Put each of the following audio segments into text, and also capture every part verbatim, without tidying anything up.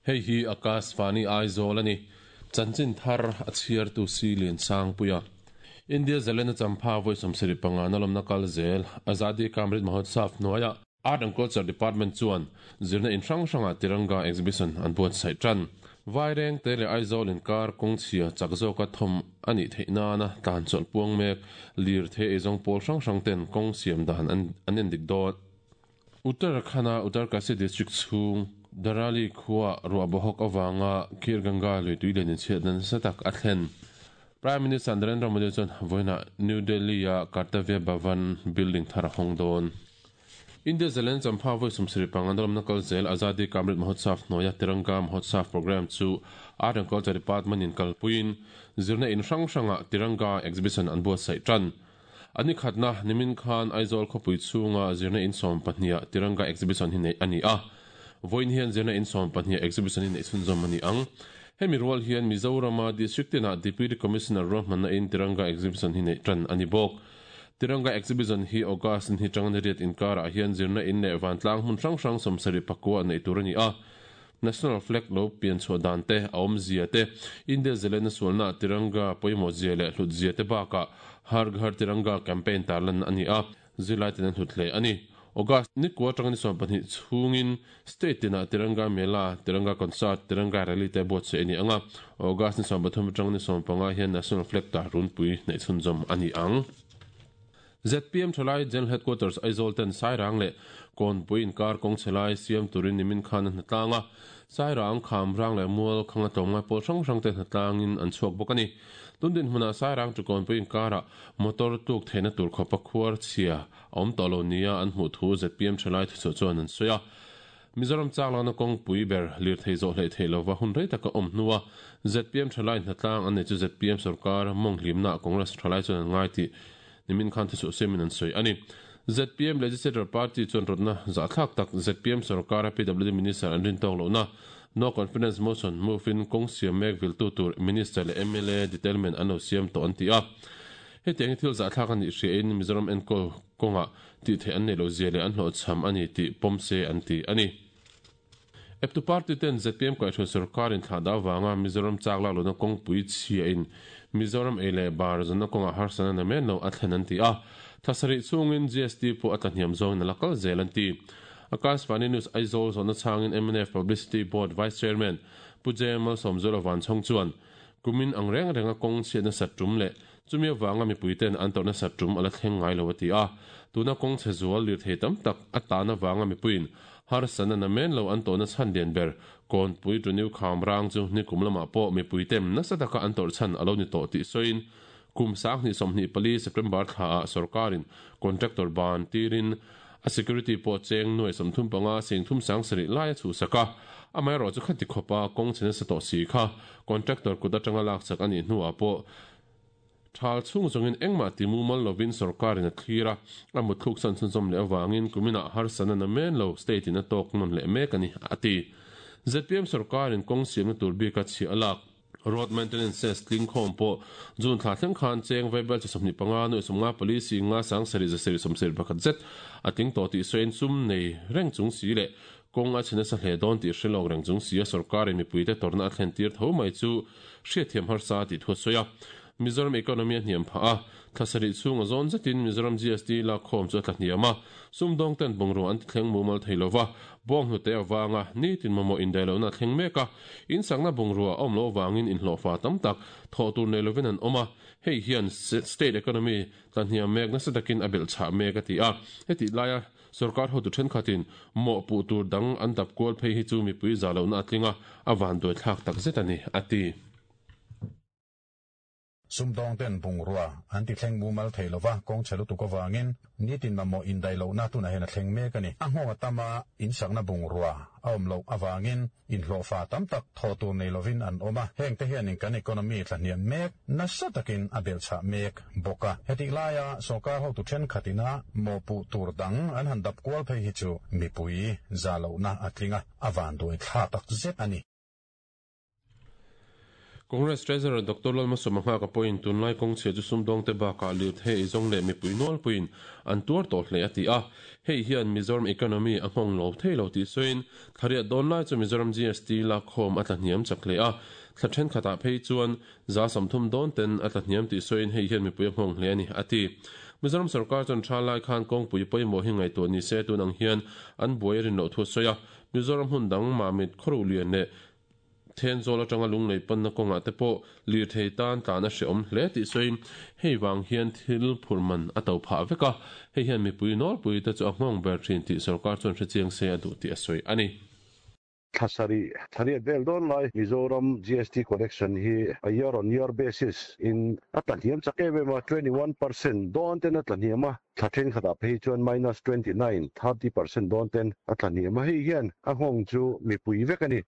Hei hi Akashvani Aizawl ani. Chanchin thar a chhiar tu si lian sang puia. India Zalena Champha voi sawmsarih panga na lawmna kal zel Azadi ka Amrit Mahotsav hnuaia Art and Culture Department chuan zirna in hrang hranga Tiranga exhibition an buatsaih tan. Vaireng te leh Aizawl inkar kawng chhia chak zawka thawm a nih theih nana tlan chawlh puang mek lir thei eizawng pawl hrang hrang ten kawng siam dan an endik dawn. Uttarakhand-a Uttarkashi district chhung Dharali khua ruah bawhawk avanga Khirganga lui tui len inchhiatna nasa tak a thlen. Prime Minister Narendra Modi chuan vawiinah New Delhi-a Kartavya Bhavan building thar a hawng dawn. India Zalen Champha vawi sawmsarih panga nawlawmna kal zel Azadi ka Amrit Mahotsav hnuaia Tiranga Mahotsav programme chu Art and Culture Department in kalpuiin zirna in hrang hrangah Tiranga exhibition an buatsaih tan. A ni khatna nimin khan Aizawl khawpui chhunga zirna in sawm pahniha Tiranga exhibition hi neih a ni a. Vawiin hian zirna in sawm pahniha exhibition hi neih chhunzawm a ni ang. Hemi rual hian Mizorama District tinah Deputy Commissioner ruahmanna in Tiranga exhibition hi neih tan a ni bawk. Tiranga exhibition hi August ni tang ni riat inkarah hian zirna in leh vantlang hmun hrang hrang sawmsarih pakua neih tur a ni a. National flag lo pian chhuah dan te, a awmzia te, India zalena sualna Tiranga pawimawh zia leh hlut zia te bakah Har Ghar Tiranga campaign tarlan a ni a, zirlai ten an hlut hle a ni. August ni kua atanga ni sawm pahnih chhungin state tinah Tiranga Mela, Tiranga Concert, Tiranga Rally te buatsaih a ni ang a, August ni sawm pathum atanga ni sawm panga hian National Flag tar runpui hnaih chhunzawm a ni ang. Z P M thalai General Headquarters Aizawl ten Sairang leh Kawnpui inkar kawng chhe lai siam turin nimin khan a hnatlang a, Sairang, Khamrang leh Mual khanga tlawmngai pawl hrang hrang te hnatlangin an chhuak bawk a ni. Tun dinhmunah Sairang chu Kawnpui inkarah motor tluk theihna tur khawpa khuar chhia a awm tawh lo nia an hmuh thu Z P M thalai thuchhuah chuan an sawi a. Mizoram chak lakna kawngpui ber lirthei zawh hleih theih lova hun rei taka awm hnua Z P M thalai hnatlang an nei chu Z P M sorkar mawng hlimnaah Congress thalai chuan an ngai tih nimin khan thuchhuah siamin an sawi a ni. Z P M Legislature Party chuan rawtna zahthlak tak Z P M sorkara P W D Minister an rin tawk lohna No Confidence Motion move in kawng siam mek viltu tur Minister leh M L A detailment an lo siam tawh an ti a. Hetiang hi thil zahthlak a nih hriain Mizoram enkawl kawngah tih theih an neih loh zia leh an hlawhchham a ni tih pawm se an ti a ni. Eptu party ten Z P M kaihhruai sorkar in thlah dah avanga Mizoram chak lak lohna kawngpui chhiain Mizoram ei leh bar zawnna kawngah harsatna na men lo a thlen an ti a. Thlasarih chhungin G S T pawh a tlahniam zawngin a la kal zel an ti. Akashvani News Aizawl zawhna chhangin M N F Publicity Board Vice Chairman Pu J Malsawmzuala Vanchhawng chuan kumin ang reng renga kawng chhiatna sat tum leh chumi avanga mipuiten an tawrhna sat tum a la thleng ngai lo a ti a. Tuna kawng chhe zual lir thei tam tak a tan avanga mipuiin harsatna na men lo an tawhna chhan lian ber Kawnpui Tuniu Kham rang chu nikum lamah pawh mipuiten nasa taka an tawrh chhan a lo ni tawh tih sawiin kum sanghnih sawmhnih pali September thlaah sorkarin contractor ban tirin a security pawh cheng nuai sawmthum panga singthum sangsarih lai a chhuhsak a. Amaherawh chu khati khawpa kawng chhe nasa tawh si kha contractor kut atanga lakchak a nih hnuah pawh thal chhung zawngin engmah ti mumal lovin sorkarin a thlir a, a mutthluk san chhunzawm leh avangin kuminah harsatna na men lo state in a tawk nawn leh mek a ni, a ti. Z P M sorkarin kawng siamna tur bika chhiah a lak. Road maintenance cess tling khawm pawh June thla thleng khan cheng vaibel chi sawmhnih panga nuai sawmnga pali si nga sang sarih za sarih sawmsarih pakhat zet a tling tawh tih sawiin sum nei reng chung si leh kawng a chhe nasa hle dawn tih hre lawk reng chung si a sorkarin mipuite tawrhna a thlen tir tho mai chu hriatthiam harsa tih thu a sawi a. Mizoram economy a hniam phah a, thlasarih chhung a zawn zetin Mizoram G S T lakkhawm chu a tla hniam a, sumdawng ten bungrua an ti thleng mumal thei lova, bawng hnute avanga nitin mamawh indaihlohna a thleng mek a, insakna bungrua a awm loh avangin inhlawhfa tam tak thawh tur nei lovin an awm a, hei hian state economy tla hniam mek nasa takin a belh chhah mek a ti a, hetih laia sorkar hotu thenkhatin mawhpuh tur dang an dap kual phei hi chu mipui za lohna a tling a, a vanduai thlak tak zet a ni, a ti. Sumdawng ten bungrua an ti thleng mumal thei lova, kawng chhe lutuk avangin nitin mamawh indaih lohna tunah hian a thleng mek a ni. A nghawng a tam a, insakna bungrua a awm loh avangin inhlawhfa tam tak thawh tur nei lovin an awm a, heng te hianin kan economy tlahniam mek nasa takin a belhchhah mek bawk a. Hetih laia sorkar hotu thenkhatina mawhpuh tur dang an han dap kual phei hi chu mipui za lohna a tling a, a vanduai thlak tak zet a ni. Congress Treasurer Doctor Lalmalsawma Nghaka pawhin tunlai kawng chhia chu sumdawng te bakah lirthei eizawng leh mipui nawlpuiin an tuar tawh hle a ti a. Hei hian Mizoram economy a nghawng lo thei lo tih sawiin thlariat dawn lai chu Mizoram G S T lakhawm a tlahniam chak hle a. Thla thenkhatah phei chuan za sawmthum dawn ten a tlahniam tih sawiin hei hian mipui a nghawng hle a ni a ti. Mizoram sarkar chuan tha lai khan kawngpui pawimawh hi ngaihtuah ni se tun ang hian an buai rin loh thu a sawi a. Mizoram hmun dang Mamit khawruh lian leh Thenzawl atanga lunglei panna kawngah te pawh lirthei tan tlan a hreawm hle tih sawiin hei vang hian thil phurman a to phah vek a, hei hian mipui nawlpui te chu a nghawng ber thin tih sarkar chuan hrechiang se a duh tih a sawi a ni. Thlasari thlariat vel dawn lai Mizoram G S T collection hi a year on year basis in a tlahniam chak em em a, twenty one percent dawn ten a tlahniam a, thla thenkhatah phei chuan minus twenty nine, thirty percent dawn ten a tlahniam a, hei hian a nghawng chu mipui vek a ni.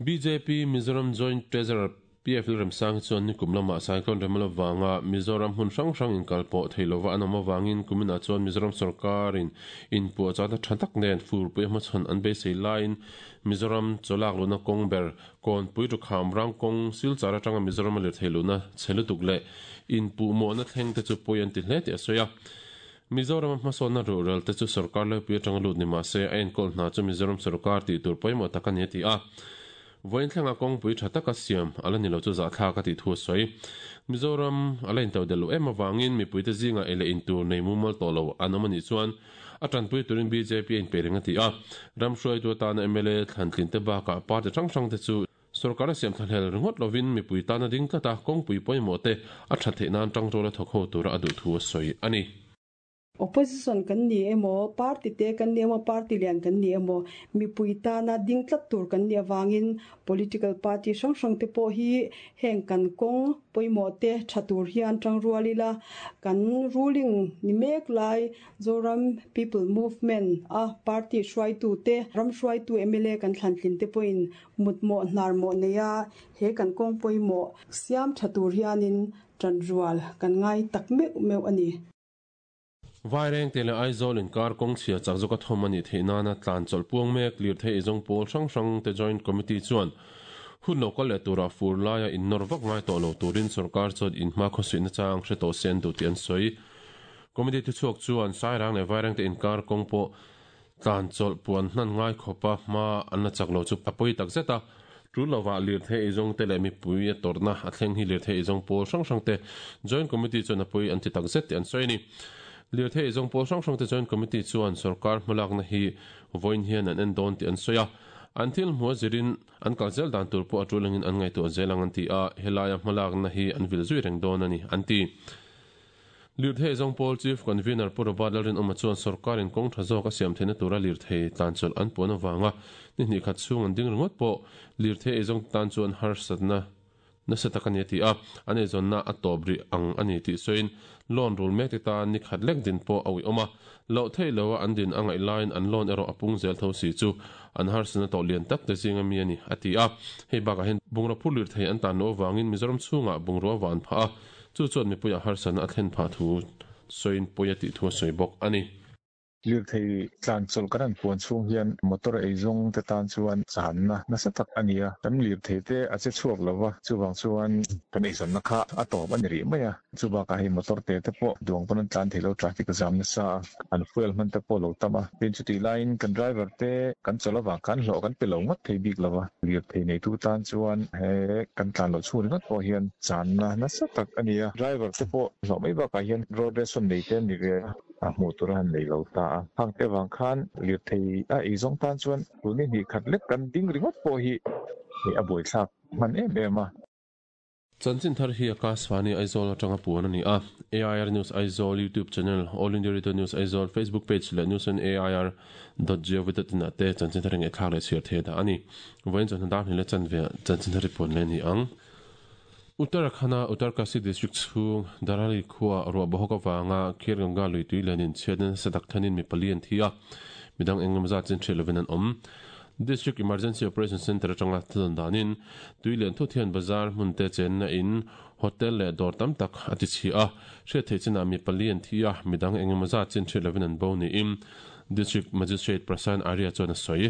B J P Mizoram Joint Treasurer P F Lalremsang chuan nikum lamah Cyclone Remal avanga Mizoram hmun hrang hrang inkal pawh thei lova an awm avangin kuminah chuan Mizoram sarkarin inpuah chahna tha tak nen furpui hmachhawn an beisei laiin Mizoram chawlak luna kawng ber kawnpui thukham rang kawng silchar atanga Mizoram a lirthei luna chhe lutuk leh inpuh mawhna thleng te chu pawi an ti hle tih a sawi a. Mizoram hmasawnna rural te chu sarkar lepui atanga lut ni mahse a enkawl hna chu Mizoram sarkar tih tur pawimawh tak a ni a ti a. Voin thlenga kawngpui tha taka siam ala ni lo chu zahthlak a tih thu a sawi. Mizoram ala intau del lo em awangin mipui te zinga ele intur nei mumal tawh lo an awm anih chuan a tanpui turin B J P a inpe reng a ti a. Ram hruaitu atana M L A thlantlin te bakah party hrang hrang te chu sarkar a siam thlahlel ringawt lovin mipui tana ding tlata kawngpui pawimawh te a tha theih nan tangrual a thawk ho tura a duh thu a sawi a ni. Opposition kan ni emaw, party te kan ni emaw, party lian kan ni emaw, mipui tana ding tlat tur kan ni awangin political party hrang hrang te pawh hi heng kan kawng pawimawh te tha tur hian tangrualila kan ruling ni mek lai Zoram People Movement a party hruaitu te ram hruaitu M L A kan thlantlin te pawhin mutmawh hnarmawh neia he kan kawng pawimawh siam tha tur hianin tanrual kan ngai tak meuh meuh ani. Vaireng te le Aizawl inkar kawng chhia chak zawk a thawm ani theih nana tlan chawlh puang mek lirthei eizawng pawl hrang hrang te joint committee chuan hun lo kal leh tura fur laia innawr vak ngai tawh lo turin sarkar chuan inhma khawsuihna chang hre tawh se an duh tih an sawi. Committee thuchhuak chuan Sairang leh Vaireng te inkar kawng pawh tlan chawlh puan hnan ngai khawpa hma an la chak lo chu a pawi tak zet a. Tul lova lirthei eizawng te leh mipui a tawrhna a thleng hi lirthei eizawng pawl hrang hrang te joint committee chuan a pawi an ti tak zet tih an sawi a ni. Lirthei eizawng pawl hrang hrang te joint committee chuan sarkar hmalakna hi voin hian an en dawn tih an sawi a. An thil hmu a zirin an kal zel dan tur pawh a tulangin an ngaihtuah zel ang an ti a, helaia hmalakna hi an vil zui reng dawn a ni an ti. Lirthei eizawng pawl chief convener Pu Robert Lalrinawma chuan sarkarin kawng tha zawk a siam theihna tura lirthei tlan chawlh an puan avanga ni hnih khat chhung an ding ringawt pawh lirthei eizawng tan chuan harsatna nasa tak ani a ti a, an eizawnna a tawp rih ang ani tih sawiin loan rul mek te tan ni khat lek din pawh a ui awm a, loh thei lo a an din a ngaih laiin an loan erawh a pung zel tho si chu an harsatna tawh lian tak te zinga mi ani a ti a. Hei bakah hian bungraw phur lirthei an tan lo awangin Mizoram chhungah bungrua van phah a, chu chuan mipuiah harsatna a thlen phah thu sawiin pawi a tih thu a sawi bawk a ni. Lirthei tlan chawlh kan an puan chhung hian motor eizawng te tan chuan channa nasa tak ani a, kan lirthei te a che chhuak lova chuwang chuan kan eizawnna kha a tawp ani rih mai a, chubakah hei motor te te pawh duang pawn an tlan thei lo traffic jam nasa a, an fuel hman te pawh lo tam a, tin chuti laiin kan driver te kan chawlh awang khan hlawh kan pe lo ngawt thei bik lova, lirthei nei tu tan chuan he kan tlan lo chhung ringawt pawh hian channa nasa tak ani a, driver te pawh hlawh mai bakah hian road ration nei te ani ve a hmuh tur a han nei lo ta a, hang te wang khan lirthei a eizawng tan chuan tuni hnih khat lek kan ding ringawt pawh hi hei a buai thlak hman em em a. Chanchin thar hi Akashvani Aizawl atanga puan ani a. A I R News Aizawl YouTube channel, All India Radio News Aizawl Facebook page leh news on A I R dot gov dot in te chanchin thar eng thlak leh chhiar the da ani. Voin chuan dar ni le chan ve chanchin thar puan le ni ang. Uttarakhand Uttarkashi district chung Darali khuwa ruah bohok awanga Khirganga lui tui lenin chhiatna sadak thanin mi pali an thi a, midang engemaw zat chin ṭheh lovin an awm. District Emergency Operation Center atanga thlan danin tui lian thu thian bazar hmun te chenna in Hotel le dawr tam tak a ti chhi a, hriat theih chinah mi pali an thi a, midang eng emaw zat chin hriat lovin an bo niin District Magistrate Prasant Arya chuan a sawi.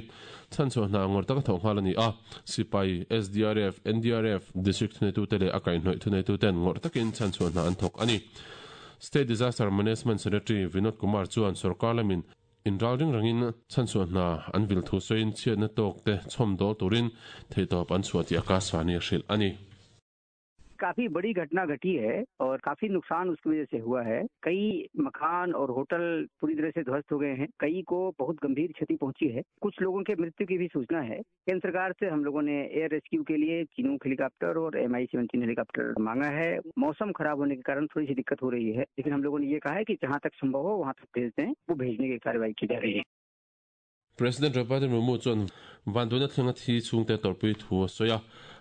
Chhanchhuah hna ngawr taka thawh nghal a ni a, sipai, S D R F, N D R F, District thuneitute leh a kaihhnawih thuneituten ngawrh takin chhanchhuah hna an thawk a ni. State Disaster Management Secretary Vinod Kumar chuan sorkar lamin inral ring rangin chhanchhuah hna an vil thu sawiin chhiatna tawk te chhawm dawl turin theihtawp an chhuah tih Akashvani a hrilh a ni. काफी बड़ी घटना घटी है और काफी नुकसान उसकी वजह से हुआ है। कई मकान और होटल पूरी तरह से ध्वस्त हो गए हैं, कई को बहुत गंभीर क्षति पहुंची है, कुछ लोगों के मृत्यु की भी सूचना है। केंद्र सरकार से हम लोगों ने एयर रेस्क्यू के लिए चिनूक हेलीकॉप्टर और M I seventeen helicopter मांगा है। मौसम खराब होने के कारण थोड़ी सी दिक्कत हो रही है, लेकिन हम लोगों ने ये कहा है कि जहां तक संभव हो वहां तक भेज दें। वो भेजने की कार्रवाई की जा रही है। President Draupadi Murmu chuan vanduaina thlenga thi chhungte tawrhpui thu a sawi a.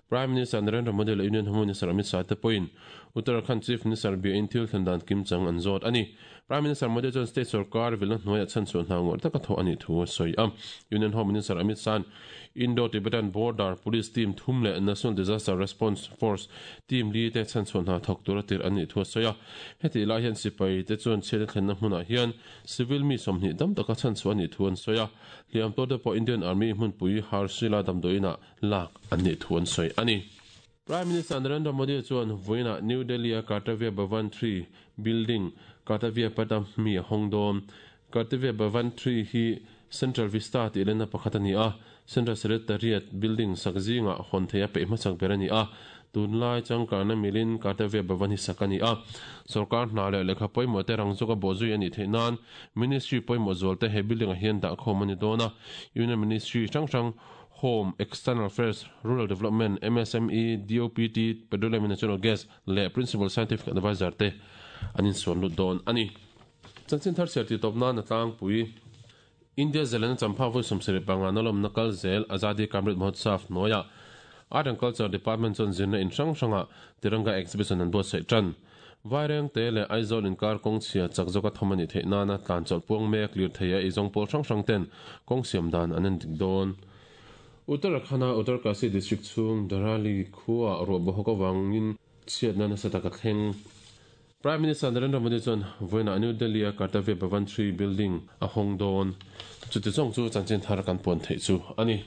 Prime Minister Narendra Modi leh Union Home Minister Amit Shah te pawhin Uttarakhand Chief Minister biain thil thlen dan kim chang an zawt a ni. Prime Minister Modi chuan state sarkar vilna hnuaiah chhanchhuah hna ngawrh taka thawh a nih thu a sawi a. Union Home Minister Amit Shah Indo-Tibetan Border Police Team thum leh National Disaster Response Force team li te chhanchhuah hna thawk tur a tirh an nih thu a sawi a. Heti lai hian sipai te chuan chhiatna thlenna hmunah hian civil mi sawmhnih dam taka chhanchhuah a nih thu an sawi a. Hliam tawr te pawh Indian Army hmunpui Harshila damdawiinah lak an nih thu an sawi a ni. Prime Minister Narendra Modi chuan vawiinah New Delhi a Kartavya Bhavan three building Kartavya Patham mi a hawng dawn. Kartavya Bhavan three hi Central Vista tih lenna pakhat a ni a, Central Secretariat building sak zingah hawn theih a peih hmasak ber a ni a. Tunlai changkanna milin Kartavya Bhavan hi sak a ni a. Sorkar hna leh lehkha pawimawh te rang zawka bawhzui a nih theih nan Ministry pawimawh zual te he building ah hian dah khawm a ni dawn a. Union Ministry hrang hrang Home, External Affairs, Rural Development, M S M E, D O P T, Petroleum and Natural Gas leh Principal Scientific Advisor te an insuan lut dawn a ni. Chanchin thar chhiar tih tawp nan a tlangpui. India zalenna champha vawi sawmsarih panga na lawmna kal zel Azadi Ka Amrit Mahotsav hnuaiah Art and Culture Department chuan zirna in hrang hrangah Tiranga exhibition an buatsaih tan. Vaireng te leh Aizawl inkar kawng chhia chak zawka thawm a nih theih nana tlan chawlh puang mek lirthei a eizawng pawl hrang hrang ten kawng siam dan an en dik dawn. Uttarakhand-a Uttarkashi district chhung Dharali khuaah ruah bawhawk avangin chhiatna nasa taka thleng. Prime Minister Narendra Modi chuan vawiinah New Delhi a Kartavya Bhavan three building a hawng dawn. Chuti zawng chu chanchin thar kan puan theih chu a ni.